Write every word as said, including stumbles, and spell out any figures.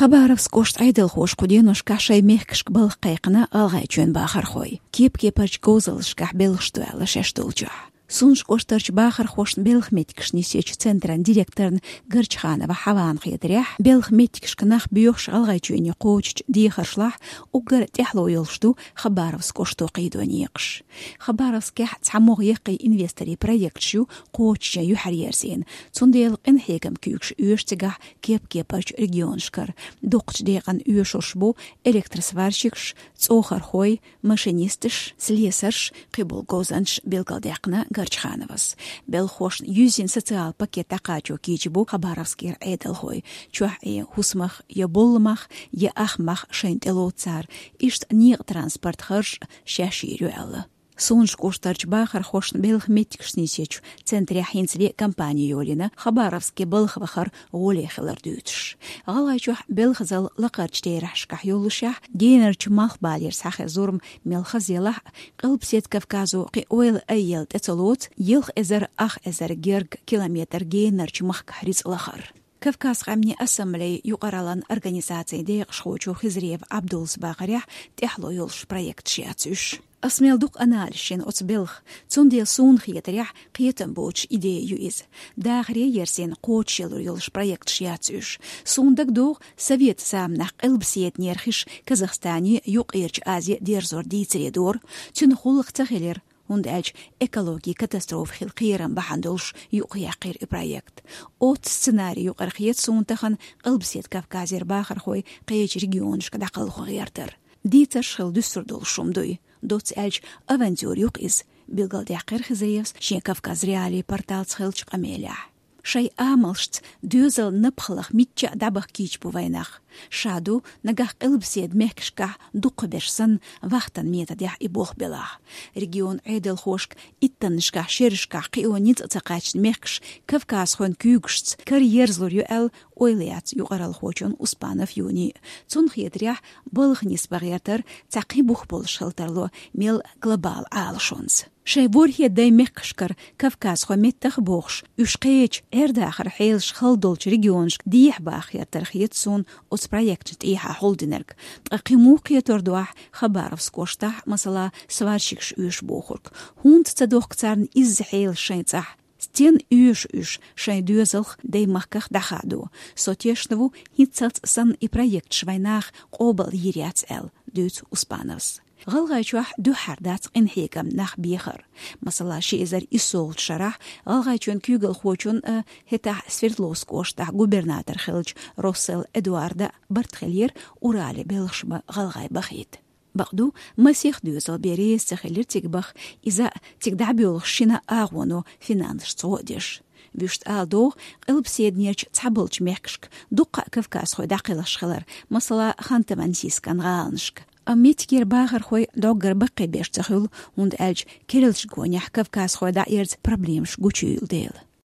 Хабаровск кӀоштан Ӏедалхоша кху деношкахь шайн мехкашка балха кхайкхина ГӀалгӀайчоьнан бахархой. Кеп-кепарчу говзаллашкахь белхаш ду аьлла шаьш долчохь. Сундж кӀоштарчу бахархошна белхан меттигаш нисъечу центран директорна Горчханова Хьавана хетарехь, белхан меттигашка нах боьхуш ГӀалгӀайчоьне кхочучу дехаршлахь уггар тӀаьхьало йолуш ду Хабаровск кӀошто кхийдо некъаш. Хабаровскехь цхьа могӀа яккхий инвесторийн проекташ ю кхочушъян юьхьар ерзийна, цундела къинхьегаман куьйгаш оьшу цигахь кеп-кепарчу регионашкара. Дукхачу декъана оьшурш бу электросварщикаш, цӀохархой, машинисташ, слесарш, кхин болу говзанчаш, билгалдаьккхина Горчхановас. Белхахошна юьззина социалан пакет дӀакхачо кийча бу Хабаровскера Ӏедалхой. Чохь Ӏен хӀусамах я болламах, я ахмах шайна тӀелоцу цара. Иштта некъан транспортан харж шаьш йийр ю аьлла. Сундж кӀоштарчу бахархошна белхан меттигаш нисъечу центрехь хӀинца ле компани йолийна, Хабаровске балха вахар гӀоле хилар дуьйцуш. ГӀалгӀайчохь белхазалла лакхарчу терахьашкахь йоллушехь, генарчу малхбалера схьахеза зурма мел хаза елахь а, Къилбаседа Кавказо кхин ойла айъелла тӀе ца лоцу, ялх эзар ах эзар гергга километр генарчу махкахь рицкъ лахар. Кавказ къаьмнийн ассамблеян юкъараллин организацин декъашхочо Хизриев Ӏабдуллас бахарехь, тӀаьхьало йолуш проекташ яц уьш. Ас мел дукха анализ йина оцу белхан, цундела суна хетарехь, кхетам боцуш идея ю иза. Дахаре ерзийна кхочушъялур йолуш проекташ яц уьш. Суна дагадогӀу советан заманахь Къилбаседанера хиш Казахстане, Юккъерчу Азе дерзор дийцаре дора. Цуьнан гӀуллакх ца хилира, хӀунда аьлча экологин катастрофа хила кхерам бахьана долуш юкъаяьккхира и проект. Оццу сценарин юкъара хета суна тахана Къилбаседа Кавказера бахархой кхечу регионашка дӀакхалхо гӀертар. Дийцарш хила дуьсур долуш хӀума дуй. Доцца аьлча, авантюра ю-кх иза, билгалдаьккхира Хизриевс шен Кавказ.Реалии порталца хиллачу къамелехь. Шайн амалшца доьзалан напхалах мичча а дӀабаха кийча бу вайн нах. Ша ду, нагахь Къилбаседа мехкашкахь дукхахберш санна, вахтан методехь и болх белахь. Регионан Ӏедалхошка иттаннашкахь, шерашкахь кхио ницкъ ца кхаьчна мехкаш кавказхойн куьйгашца караерзалур ю аьлла ойла яц юкъараллхочун Успанов Юнин. Цунна хетарехь, балха нисбан гӀертар цхьа кхин бух болуш хила тарло, мел глобалан Ӏалашонца. Шайн ворхӀе даймехкашкара кавказхой меттах а бохуш, уьш кхечу Ӏер-дахаран хьелаш хала долчу регионашка дехьа баха гӀертар хета суна оцу проекташна тӀехьа хьулдинарг. Ткъа кхин муха кхетор ду ахь Хабаровск кӀоштахь, масала, сварщикаш оьшу бохург? ХӀунда ца дохку царна изза хьелаш шайн цӀахь? Стенна оьшу уьш шайн доьзалх, даймахках дӀахадо? Со тешна ву, хӀинццалц санна и проекташ вайн наха къобал йийр яц аьлла, дуьйцу Успановс. ГӀалгӀайчохь дуьххьара дац къинхьегаман нах бехар. Масала, ши эзар иссолгӀачу шарахь ГӀалгӀайчоьнан куьйгалхочун а, хӀетахь Свердловск кӀоштахь губернатор хиллачу Росселл Эдуарда барт хилира Урале белхаш бан гӀалгӀай бахийта. Бакъду, масех доьзал бен реза ца хилира цига баха, иза а цига дӀабоьлхуш шина агӀоно финансашца гӀо а деш. Вуьшта ала догӀу, Къилбаседанерчу цхьаболчу мехкашка дуккха а кавказхой дӀакхелхаш хилар, масала, Ханты-Мансийскан гӀаланашка. Амма меттигера бахархой дӀоггара баккхийберш ца хуьлу, хӀунда аьлча керлачу гонехь кавказхой дӀаэрза проблемаш гучуйийла дела.